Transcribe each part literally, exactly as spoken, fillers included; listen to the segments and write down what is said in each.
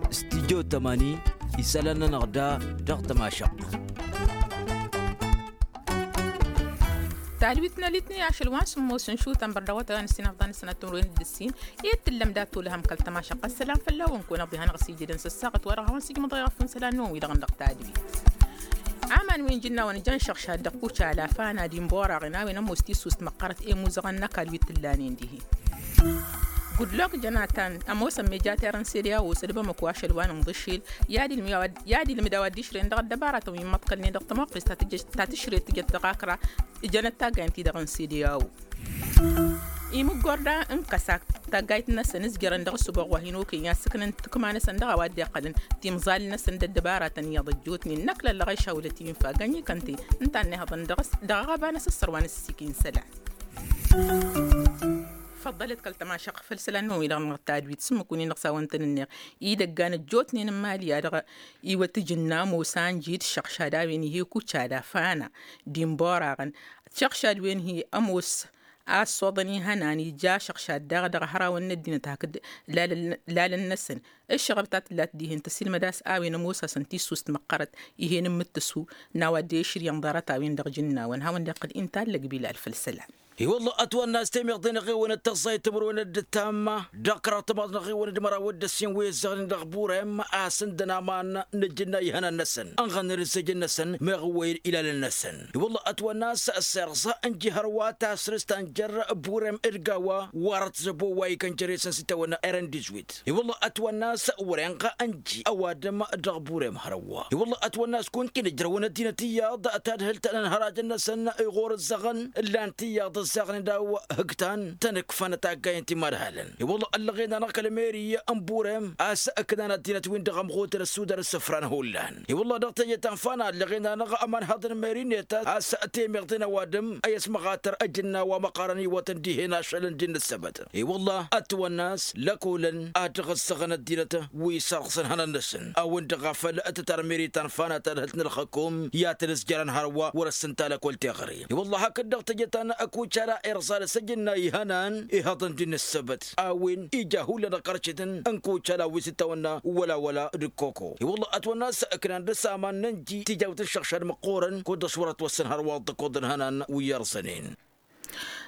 Stidyo tămani isălan-nănăɣ da dăɣ-tămašăɣt. Talwit n-alitni ašăl wa n-sǝmmos n-šutăn bărdăɣ wa tăɣan s-inăfḍan s-nătun wen d-ǝssin. Ed tǝllăm dat-tulăhăm kăl-tămašăɣt ăssălam fălla-wen kăwăn-ăḍihanăɣ s-ijădăn s-ăssaɣăt wa dăɣ-a-wa n-sǝjmăḍăyăɣ fǝnsălan n-wi-dăɣ n-dăɣ talwit. Aman wi n-jǝnna wa n-jăn šăɣšad dăɣ-kucala fana d-inbora ɣin a-wen ămoos tisust măqqărăt i-imuzăɣăn n-ăkall wi t-ǝllanen dihen. Gudlok jănatan ămoosăn mejater n-sede a-wa osădbăm ăkwa ašăl wa n-inḍǝšil i-ad-ilmǝd a-wa dd-išrăyăn dăɣ-ăddăbaratăn wi n-imăḍkălnen dăɣ-tămoqqes ta tǝšret tǝjăt dăɣ-akra. Ǝjănăt taggayăn-ti-dăɣ n-sede a-wa imǝggorda n-kăsak taggayt-năsăn ǝzjărăn dăɣ-ăssuboɣ wa hin-okăyăn i-ad-sǝknăn tǝkma-năsăn dăɣ-a-wa dd-iqqălăn timẓal-năsăn d-ăddăbaratăn iyyăḍ ăjjootnen n-ăkla ăllăɣayša wălăt infa gănyi kănte. Ǝnta a ănnihăḍăn dăɣ-s dăɣ-aɣăba n-asǝssăr wa n-ǝssikǝy n-isălan. Făḍḍălăt kăl-tămašăɣt făll-isălan-năwăn-wi-dăɣ n-tadwit s-ǝmmǝk win-dăɣ s-a-wăn tăn-ǝnneɣ idăggan ăjjootnen n-imali a-dăɣ iwăt ǝjǝnna ămoos anji d-išăɣšad a-wen ih'-e kucala fana d-inboraɣăn. Tišăɣšad-wen-hi ămoos a ăṣṣoḍăn ihănan ija ašăɣšad daɣ dăɣ-hărawăn n-ăddinăt hakd lalăn-năsăn. Ǝššăɣăb ta tǝllat dihen tăsilmăd a-s a-wen ămoos-asăn tissust măqqărăt. Ih'-en n-imǝttǝsu n-a-wa dd-ešrǝyăn ḍarăt-a-wen dăɣ-ijǝnnawăn hawăn-dd-iqqǝl inta allăg bilal făll-isălan. I-wălla ătwănna a-s temeḍe n-aɣewăn d-tăẓẓayt timǝrwen d-ǝttam dăɣ-kăraḍ timaḍ n-aɣewăn d-măraw d-ǝssin wi ăzzăɣnen dăɣ-burem a-s ǝndăn aman n-ǝjǝnna ihănan-năsăn ănɣănnen ǝzzejăn-năsăn meɣ ǝwwăyăn ilalăn-năsăn. I-wălla ătwănna a-s s-irẓa ǝnji hărwa tasrǝst ta n-jer-burem d-gawa wăr-ătzăbo wa ikăn jer-esăn s-itawănna eren dizwit. I-wălla ătwănna a-s wăren-ɣ ănji ăwadǝm dăɣ-burem hărwa. I-wălla ătwănna a-s kunta-in ǝjrăwăn ăddinăt iyyăḍ tadhǝlt n-ănhărajăn-năsăn i-ɣur-ǝzzăɣăn ǝllan-t iyyăḍ ǝzzaɣnen daw hǝktan tăn-ǝkfăn taggay n-timadhalăn. I-wălla ăllăɣen-anăɣ kăl-meri n-burem a-s ǝknan ăddinăt-win-dăɣ ămɣutăn ăssudar isǝfran hullan. I-wălla dăɣ-teje ta n-fana ăllăɣen-anăɣ ămanhăḍ n-meri-net a-s temeḍe n-ăwadǝm ăyy ăsmăɣatăr ăjǝnna wa măqqărăn iwătăn dihen ašăl n-dd-inǝssăbăt. I-wălla ătwănna a-s lăkolăn ad-dăɣ-ǝssăɣăn ăddinăt wi sărɣǝsăn hănan-năsăn a-wen-dăɣ a făl tǝtar meri ta n-fana tadhǝlt n-ălxăkum i-ad-tăn-ǝzjărăn hărwa wăr-ăssǝnta lăkol teɣăre. I-wălla hakd-dăɣ teje ta n-kucala irẓa d-asăjǝnna ihănan ihăḍăn d-inǝssăbăt a-wen ija hullan ăqqărcetăn n-kucala wi s-dd-tawănna wăla-wăla d-koko. I-wălla ătwănna a-s ǝknan dăr-s aman n-ănji tijawt n-išăɣšad măqqoorăn kud-dăɣ s-wăr-ătwăssan hărwa dd-ăkkoḍăn hănan wi iyyăr sănen.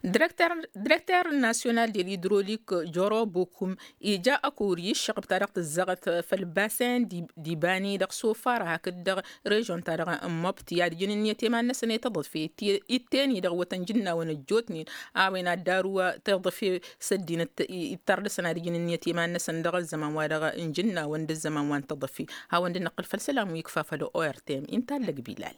Direkter nasyonal del idrolik joro bokum ija ăkori ǝššăɣb ta dăɣ-tǝzzăɣăt făll-basen d-ibani dăɣ-sofara hakd dăɣ-režon ta dăɣ-măbt i-ad-ǝjǝn ǝnniyăt i-iman-năsăn i-tăḍăfe. Itteni dăɣ-wătăn jǝnnawăn ăjjootnen a-wen ad-daru tăḍăfe s-ăddinăt ittăr dăɣ-săn ad-ǝjǝn ǝnniyăt i-iman-năsăn dăɣ-ăzzăman wa dăɣ-n jǝnnawăn d-ăzzăman wa n-tăḍăfe. Hawăn-dd-năqqǝl făll-isălan wi ǝkfa făll-ortem inta allăg bilal.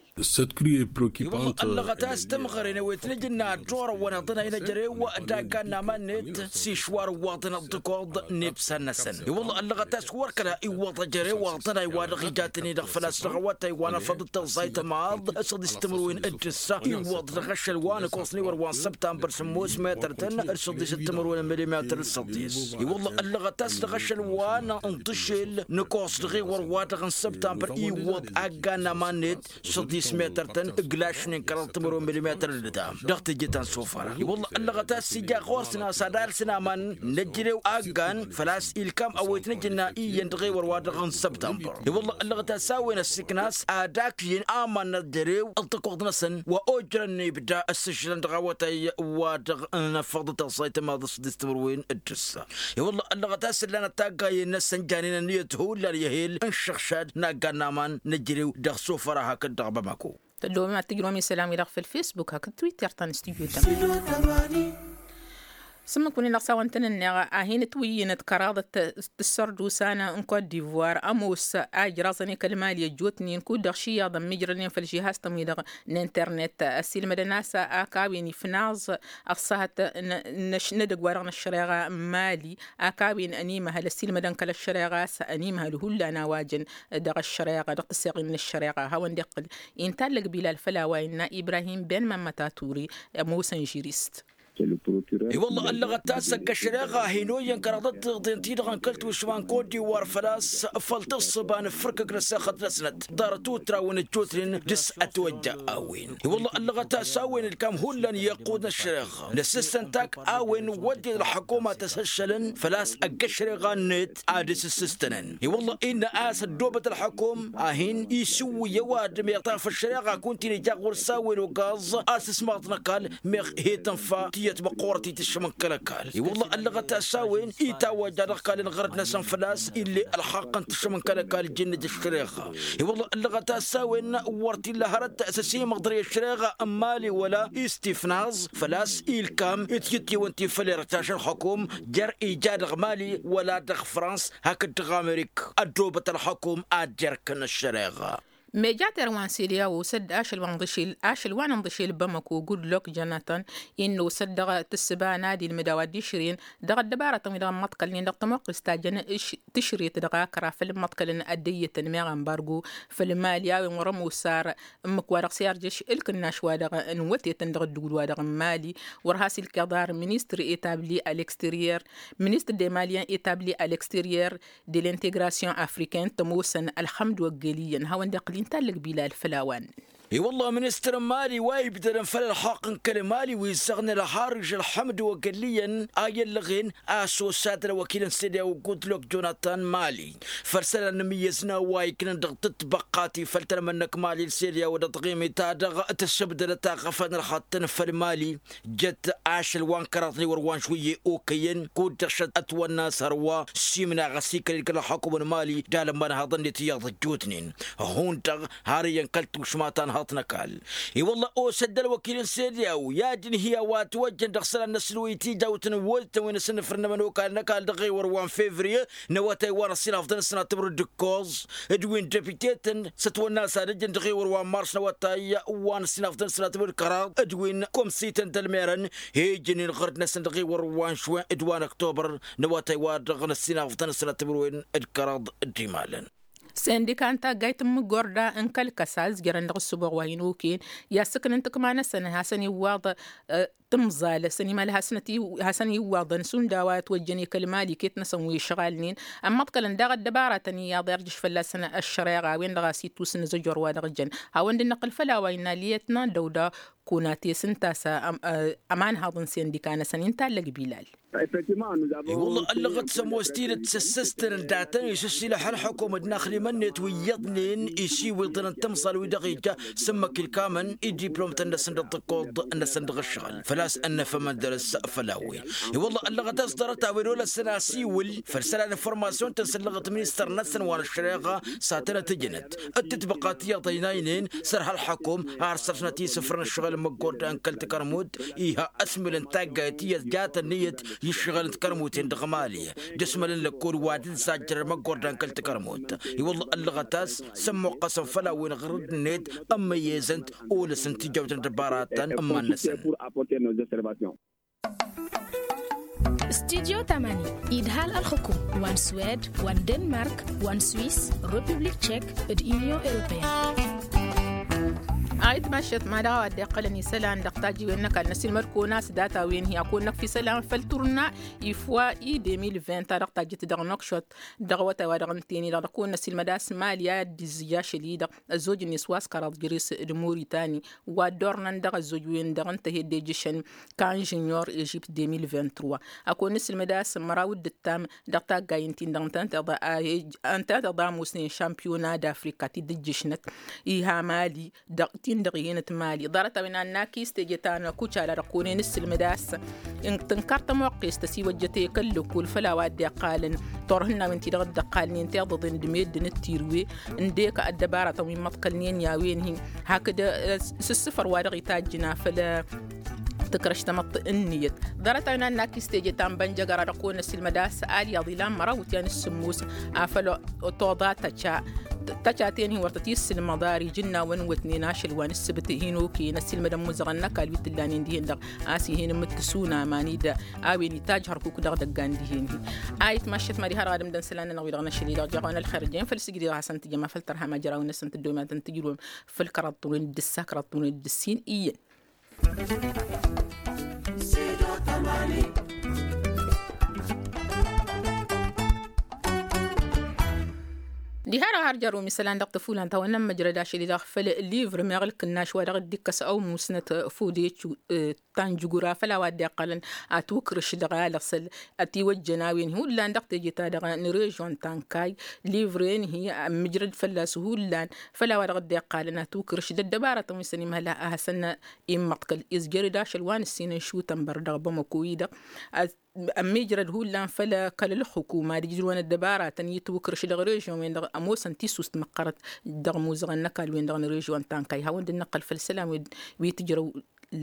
Ăllăɣăt a-s tămɣăren ăwet n-ijǝnna ăddorăwăn iḍănay n-ejărew d-aggan n-aman-net s-išwar ǝwwaḍăn ăṭṭăkoḍ n-ibsan-năsăn. I-wălla ăllăɣăt a-s wăr-kăla iwwăḍ ejărew iḍănay wa dăɣ-ija tăn-i-dăɣ făl-a-s dăɣ-awătay wa n-afăḍ d-tăẓẓayt ămaḍ s-ăḍis timǝrwen d-ǝssa iwwăḍ dăɣ-ašăl wa n-ǝkoẓ n-iwăr wa n-săbtanbăr sǝmmos metăr-tăn d-săḍis d-timǝrwen n-milimetăr d-săḍis. I-wălla ăllăɣăt a-s dăɣ-ašăl wa n-ǝnḍǝšel nǝkoẓ dăɣ-iwăr wa dăɣ-n săbtanbăr iwwăḍ aggan n-aman-net. Săḍis metăr-tăn ǝglašnen kăraḍ timǝrwen milimetăr d-ǝtam dăɣ-teje ta n-sofăra. I-wălla ăllăɣăt a-s ija ɣur-săn a-s ad-alsăn aman n-ejărew aggan făl-a-s ilkam ăwet n-ejănna iyyăn dăɣ-ewăr wa dăɣ-n săbtanbăr. I-wălla ăllăɣăt a-s a-wen ăssiikna a-s ad-akǝyăn aman n-ejărew ǝṭṭăkoḍ-năsăn wa ojrăn ibda ăssǝšlăn dăɣ-awătay wa dăɣ-năfăḍ d-tăẓẓayt ămaḍ s-dd-s timǝrwen d-ǝssa. I-wălla ăllăɣăt a-s ǝllanăt taggayen-năsăn janen ănniyăt hullan i-ehel n-išăɣšad n-aggan n-aman n-ejărew dăɣ-sofăra hakd dăɣ-bamako. Tăddoobăm ad-tǝjrǝwăm isălan-wi-dăɣ făll-fesbuk hakd twitter ta n-studyo tămani. S-ǝmmǝk wǝnnin-dăɣ s-a-wăn tăn-ǝnneɣ a hin-ǝtwǝyyǝnăt kăraḍăt tǝssărdusan n-kot divoir ămoos a ijraẓăn i-kăl-mali ăjjootnen kud-dăɣ ši iyyăḍ ămmiijrălnen făll-žihaz-tăn-wi-dăɣ n-internet ăsiilmădăn a-s ak a-wen ifnaẓ ăṣṣahăt n-edăgg wa dăɣ-năššăreɣa n-mali. Ak a-wen ănimăhăl ăsiilmădăn kăl-ăššăreɣa a-s ănimăhăl hullan a-wa jăn dăɣ-ăššăreɣa dăɣ-tǝsseɣin n-ăššăreɣa hawăn-dd-iqqǝl. Inta allăg bilal făll-a-wa innă ibrahim ben mămmăt a ture ămoosăn žirist. I-wălla ăllăɣăt-as ăgg-ăššăreɣa hin-oyyăn kăraḍăt tiḍeḍen-ti-dăɣ n-kăl-tušma n-kot-diwar făl-a-s făl tǝssǝba n-ǝffǝrkǝk n-ăssexăt-năsnăt ḍarăt utraw n-ăjjootnen dăr-s ătwăjja a-wen. I-wălla ăllăɣăt-as a-wen ǝlkam hullan i-iqqud n-ăššăreɣa n-ǝssǝstăn tak a-wen wădden ălxăkuma tăsăššălăn făl-a-s ăgg-ăššăreɣa-net ad-dăr-s ǝssǝstănăn. I-wălla innă a-s ăddoobăt ălxăkum a hin-isǝwwǝy ăwadǝm iɣtaf ăššăreɣa kunta-in ija ɣur-s a-wen ogaẓ a-s ǝsmaḍ n-ăkall meɣ he-tǝnfa tiyyăt măqqoorăt i-tǝššǝm n-kăl-ăkall. I-wălla ăllăɣăt-as a-wen itawăjja dăɣ-kăl-inɣărăt-năsăn făl-a-s ill'-e ălxaqq n-tǝššǝm n-kăl-ăkall jǝnnǝj ăššăreɣa. I-wălla ăllăɣăt-as a-wen wăr t-illa hărăt s-ăsimăḍrăy ăššăreɣa n-mali wăla istifnaẓ făl-a-s ilkam itjǝttewăn-t-in făll-erăt ašăl xăkum jer-ija dăɣ-mali wăla dăɣ-frans hakd dăɣ-amerik ăddoobăt ălxăkum ad-jerkăn ăššăreɣa. Mejater wa n-sede a-wa osăd ašăl wa n-dăšel ašăl wa n-dăšel bamăko gudlok jonathan innă osăd dăɣ-tǝssǝba n-ad-ilmǝd a-wa dd-išrǝyăn dăɣ-ăddăbarătăn-wi-dăɣ n-imăḍkălnen dăɣ-tămoqqes ta jăn tǝšret dăɣ-akra făll-imăḍkălăn ăddăyyătăn meɣ ambargo făll-mali a-wen wăr-ămm osar ǝmmǝk-wa-dăɣ s-irjăš ǝlkǝnnaš-wa-dăɣ n-wătetăn dăɣ-ădduul-wa-dăɣ n-mali. Wăr has-ilkeḍar ministăr etabli a l'exterier ministăr de malien etabli a l'exterier de l'integration africaine tămoosăn ălxămd wăggel iyyăn hawăn-dd-iqqǝl intallăg bilal făll-a-wa n-dd-iqqǝl. I-wălla ministăr n-mali wa ibdădăn făll-ălxaqq n-kăl-mali wi ǝzzăɣnen ălxarǝž ălxămd wăggel iyyăn a i-ăllăɣen a-s osadăn ăwăkil n-sede a-wa gudlok jonathan mali făll-isălan n-imǝyyăzna wa iknăn dăɣ-tǝtbăqqa ti făll-tălmănnăk mali n-sede a-wa dăɣ-tăɣimit-ta-dăɣ tǝssǝbdădăt aɣăfăn ălxattăn făll-mali. Jăt ašăl wa n-kăraḍ n-ewăr wa n-šwǝyye okăyăn kud-dăɣ šăt ătwănna s-hărwa s-imnaɣ ăsikăl-in kăl-ălxakum n-mali d-alămman haḍăn-net iyyăḍ ăjjootnen. Hundăɣ har iyyăn kăl-tušma ta n-haḍt n-ăkall. I-wălla osădd ălwăkil n-sede a-wa i-ad-inhǝy a-wa ătwăjjăn dăɣ-isălan n-asǝlwăy tijawt n-wăttăn wi n-asǝnnǝfrǝnnămăn okal n-ăkall dăɣ-ewăr wa n-fevriye n-awătay wa n-ăssinafḍăn ăssinatăbru d-ǝkkoẓ d-wi n-depite-tăn s-ătwănna a-s ad-ǝjjăn dăɣ-ewăr wa n-mars n-awătay wa n-ăssinafḍăn ăssinatăbru d-kăraḍ d-wi n-komsităn d-ălmerăn. He-ijǝnnen ɣărd-năsăn dăɣ-ewăr wa n-šwen d-wa n-ăktobăr n-awătay wa dăɣ-năssinafḍăn ăssinatăbru d-kăraḍ d-imalăn. Sendika n-taggayt n-imǝggorda n-kăl-kăsa ǝzjărăn dăɣ-ǝssǝboɣ wa hin-okăyăn i-ad-sǝknǝn tǝkma-năsăn hasăn-iwwaḍ tǝmẓal ăsăn imal hasăn-iwwaḍăn šund a-wa ătwăjjăn i-kăl-mali iket-năsăn wi ǝšɣalnen ămmăḍkălăn daɣ ăddăbaratăn iyyăḍ irjǝš fălla-săn ăššăreɣa a-wen-dăɣ a-s ittus n-azăjor wa dăɣ-jăn. Hawăn-dd-năqqǝl făll-a-wa innă liyătna dăw-dăɣ kunate s-ǝnta a-s ămanhaḍ n-sendika-năsăn intallăg bilal. I-wălla ăllăɣăt s-ămoos tidǝt s-ǝssǝstăn ǝnta a tăn-isǝssilăḥ ălxukum d-inaxlimăn-net wi iyyăḍnen isiwǝḍăn n-timẓal wi-dăɣ ija s-ǝmmǝk ilkamăn i-diplomtăn-năsăn d-ăṭṭăkkoḍ-năsăn dăɣ-ǝššăɣǝl făl-a-s ănnăfămăn dăr-s. Făll-a-wen i-wălla ăllăɣăt a-s ḍarăt a-wen olăsăn asiwǝl făll-isălan n-informasyun-tăn s-ǝllăɣăt ministăr-năsăn wa n-ăššăreɣa s-ad-tăn-ătǝjnăt d-tǝtbăqqa tiyyăḍ ăynaynen săr ha ălxukum ar săr-snăt isǝfrăn ǝššăɣǝl n-măggorda n-kăl-tikărmut. Iha ăsmǝl n-taggayt iyyăt jat ǝnniyăt i-ǝššăɣǝl n-tikărmuten dăɣ-mali d-asmăl n-lăkkol wa dd-sajjărăn măggorda n-kăl-tikărmut. I-wălla ăllăɣăt a-s s-ămmuqqăsăn făll-a-wen ɣărăd-net ămmăyyezăn-t olăsăn tijawt n-dăbaratăn ǝmman-năsăn. Studyo tamani idhal ălxukum wa n-swed wa n-denmark wa n-swiss, republik tchek d-union europeyenne. Ayǝtmašăt ma dăɣ-a-wa dd-iqqălăn isălan dăɣ-tajǝwen n-ăkall n-ăsilmăd-kăwăn a-s data-wen hi-a kăwăn-năkf isălan făll-turna ifwa i-de mil vint ta dăɣ-tajjǝt dăɣ-năkšot dăɣ-awătay wa dăɣ-ǝnten-i-dăɣ dăɣ-kăwăn-năsilmăd a-s mali a dd-izzǝj ašăl-i-dăɣ ăzzojăn-net wa s-kăraḍ jere-s d-muritan wa dd-ornăn dăɣ-ăzzoj-wen-dăɣ ǝnta a he-dd-ejǝšăn kan žunior ežipt de mil vint-trois. Ad-kăwăn-nǝsǝlmǝd a-s măraw d-ǝttam dăɣ-taggay ǝnta-in-dăɣ ǝnta a ămoosnen šampiyona d-afrika ti dd-ǝjjǝšnăt iha mali dăɣ-tin-dăɣ ihenăt mali ḍarăt-a-wen ad-nakis teje ta n-kucala dăɣ-kăwăn-en-ǝssǝlmǝd a-s tǝnkăr tămoqqest ăsiwăjjăt i-kăl-lăkkol făll-a-wa dd-iqqalăn turhǝnnawen-ti-dăɣ dd-ăqqalnen tiḍăḍen d-meddǝn d-tirǝwe ǝndek ăddăbaratăn wi n-imăḍkălnen i-a-wen-hi hakd s-ǝssǝfăr wa dăɣ-itajjǝn afăl tǝkrăš tamăḍt-ǝnniyăt. Ḍarăt-a-wen ad-nakis teje ta n-bănjăgăra dăɣ-kăwăn-năssilmăd a-s alyaḍ ilan măraw wǝtyan s-sǝmmos afăl toḍa tăca tăcaten-hi wăr tăt-issǝlmăḍ ar ijǝnnawăn wătnen ašăl wa n-ǝssǝbǝt hin-okăyăn ăssilmădăn muzăɣăn n-ăkall wi t-ǝllanen dihen-dăɣ a-s ih'-en ǝmmǝttǝs unama n-ida a-wen itajj hărkuk dăɣ-idăggan dihen-hi. Ayǝtmaššăt mad-iha dăɣ-adǝm dăɣ-isălan-nănăɣ wi-dăɣ n-ašăl-i-dăɣ jeɣ-awăn ălxer ǝjjăyăm făll-sǝjdǝy dăɣ-hasăn-tǝjjăm afăl tărha ma jăraw-năsăn tǝddǝwăm ad-tăn-tǝjrǝwăm făll-kăraḍ tunǝy d-ǝssa kăraḍ tunǝy d-ǝssin iyyăn. Diha-dăɣ har jăr-wăn isălan dăɣ-tăfulan ta wănnăn măjrăd ašăl-i-dăɣ făll-livr meɣ ǝlkǝnnaš wa dăɣ-dd-ikkăs ăwmusnăt fudec tanjugura făll-a-wa dd-iqqălăn ătwǝkrǝš dăɣ-alăɣsăl ătiwăjjăn a-wen hullan dăɣ-teje-ta-dăɣ n-režyon tankay. Livre-en hi-ămmǝjrăd fălla-s hullan făll-a-wa dăɣ-dd-iqqălăn ătwǝkrǝš d-ăddăbarătăn wi s-ănimhăl a hasăn-immăḍkăl izjăr-dd ašăl wa n-ǝssin n-šutănbăr dăɣ-bamăko-i-dăɣ. Ămmijrăd hullan făll-kăl-ălxukuma d-ijrǝwăn ăddăbaratăn i-tiwǝkrǝš dăɣ-režyon-wen-dăɣ ămoosăn tisust măqqărăt dăɣ-imuzăɣăn n-ăkall-wen-dăɣ n-režyon tankay hawăn-dd-năqqăl făll-isălan wi tǝjrăw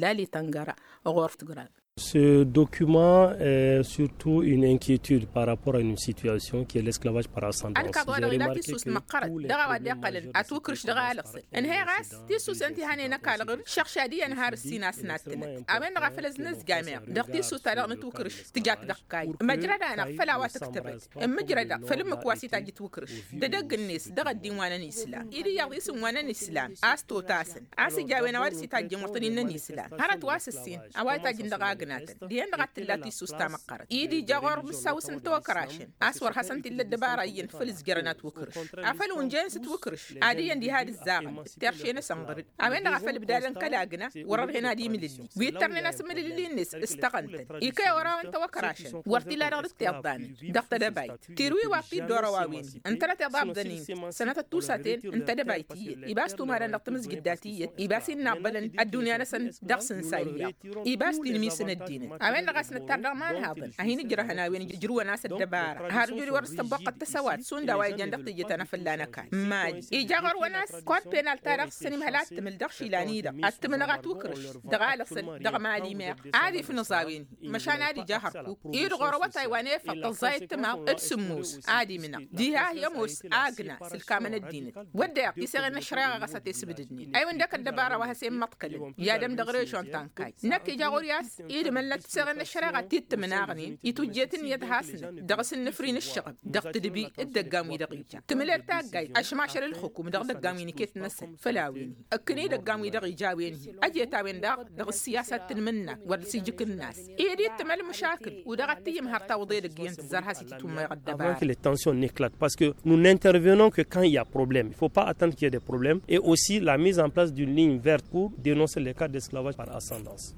lale tăngăra ɣur-tǝgrad. Ce document est surtout une inquiétude par rapport à une situation qui est l'esclavage par ascendance. Ălkăḍ wa dăɣ-ila tisust măqqărăt dăɣ-a-wa dd-iqqălăn ătwǝkrǝš dăɣ-alăɣsăl ǝnhăyăɣ a-s tisust ǝnta ihănen ăkall ɣǝr-dd šăɣšad iyyăn har ǝssin a-s nattǝnăt a-wen-dăɣ a făl ăznăzjam iɣ dăɣ-tisust-ta-dăɣ n-ǝtwǝkrǝš tǝjat dăɣ-kayy măjrăd-anăɣ făll-a-wa tăktăbăt ǝmmǝjrăd-aɣ făll-ǝmmǝk wa s-itajj ǝtwǝkrǝš d-edăgg-net dăɣ-ăddin wa n-ănislam-i d-iyyăḍ isǝm wa n-ănislam a-s totasăn a-s ija a-wen a-wa dăɣ-s itajjăn wăr tăn-innăn islam hărăt wa s-ǝssin a-wa itajjăn dăɣ-agnatăn dihen-dăɣ a t-tǝlla tisust ta măqqărăt-i d-ija ɣur-mǝssaw s-ǝnta okărašăn a-s wăr hasăn-t-illa ăddăbara iyyăn făll-ǝzjărăn ătwǝkrǝš afăl unjăyăn s-ǝtwǝkrǝš ad-iyyăn diha d-ǝzzaɣăn ǝttixšen asănɣărǝd a-wen-dăɣ a făl ǝbdadăn kăla agna wăr-ărhen ad-imlǝlli wi ǝttărnen a-s ǝmlǝlli-net s-tăɣăntăn ikăy orawăn tăwăkrašăn wăr t-ila dăɣ-dd-tiḍḍanăn dăɣ-tedăbayt tirǝwi wa t-dd-orăw a-wen-i ǝntănăt iḍabdăn-in sănătăt tusat-en n-tedăbayt iyyăt iba s-tumadăn dăɣ-tamǝzjǝddat iyyăt iba s-in-inaḍḍălăn ăddunya-năsăn dăɣ-sǝnsa iyyăḍ iba s-tinmisăn ăddinăt a-wen-dăɣ a-s nǝttar dăɣ-imanhaḍăn a hin-ǝjrăhăn a-wen ǝjrǝwăn a-s ăddăbara har ǝjrǝw wăr-s tăbboqqăt tăsăwat šund a-wa ijan dăɣ-teje ta n-afălla n-ăkall mali ija ɣur-wăn a-s kod penal-ta-dăɣ s-ănimhăl ad-tǝmǝl dăɣ-išilan-i-dăɣ ad-tǝmǝnăɣ ătwǝkrǝš dăɣ-alăɣsăl dăɣ-mali meɣ ad-ifnǝẓ a-wen măšan ad-ija hărkuk-i-dăɣ ɣur-awătay wa n-efăḍ tăẓẓay ǝttǝmaḍ d-sǝmmos ad-imnăɣ diha hi-ămoos agna s-ǝlkamăn ăddinăt wădden tiseɣen n-ăššăreɣa ɣas a t-esbǝdǝdnen a-iwǝn dek ăddăbara wa has-immăḍkălăn i-ad-ămm dăɣ-režyon tankay năkk ija ɣur-i a-s idǝmălnăt tiseɣen n-ăššăreɣa tittǝmnaɣnen itwǝjjet ǝnniyăt hasnăt dăɣ-s ǝnnǝfri n-ǝššăɣǝb dăɣ-tǝdbi d-ăggan-wi-dăɣ ija tǝmǝlet taggayt ăšmašăl ǝlxǝkum dăɣ-idăggan wi n-iket-năsăn făll-a-wen-hi ǝkkǝn idăggan-wi-dăɣ ija a-wen-hi ăjet a-wen daɣ dăɣ-ǝssiyasat tǝnmǝnnak wăr dăɣ-s ijǝk ǝnnas ed ittǝmăl măšakǝl-wi-dăɣ ad-t-iyyǝm har tawḍe edăgg iyyăn tǝzzar has-itǝtwǝmmeɣ ăddăbara. Avant que les tensions n'éclatent parce que nous n'intervenons que quand il y a problème, il faut pas attendre qu'il y ait des problèmes et aussi la mise en place d'une ligne verte pour dénoncer les cas d'esclavage par ascendance.